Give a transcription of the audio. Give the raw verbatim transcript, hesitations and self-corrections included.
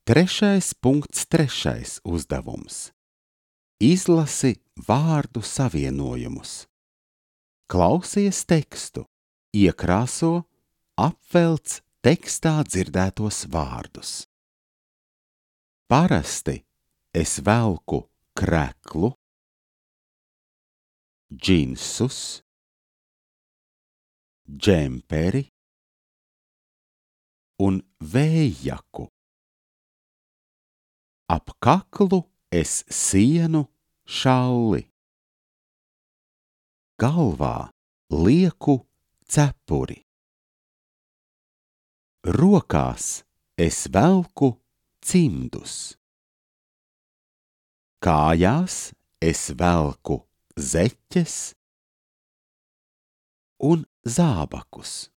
Trešais punkts trešais uzdevums. Izlasi vārdu savienojumus. Klausies tekstu, iekrāso, apvelc tekstā dzirdētos vārdus. Parasti es velku kreklu, džinsus, džemperi un vējjaku. Ap kaklu es sienu šalli. Galvā lieku cepuri. Rokās es velku cimdus. Kājās es velku zeķes un zābakus.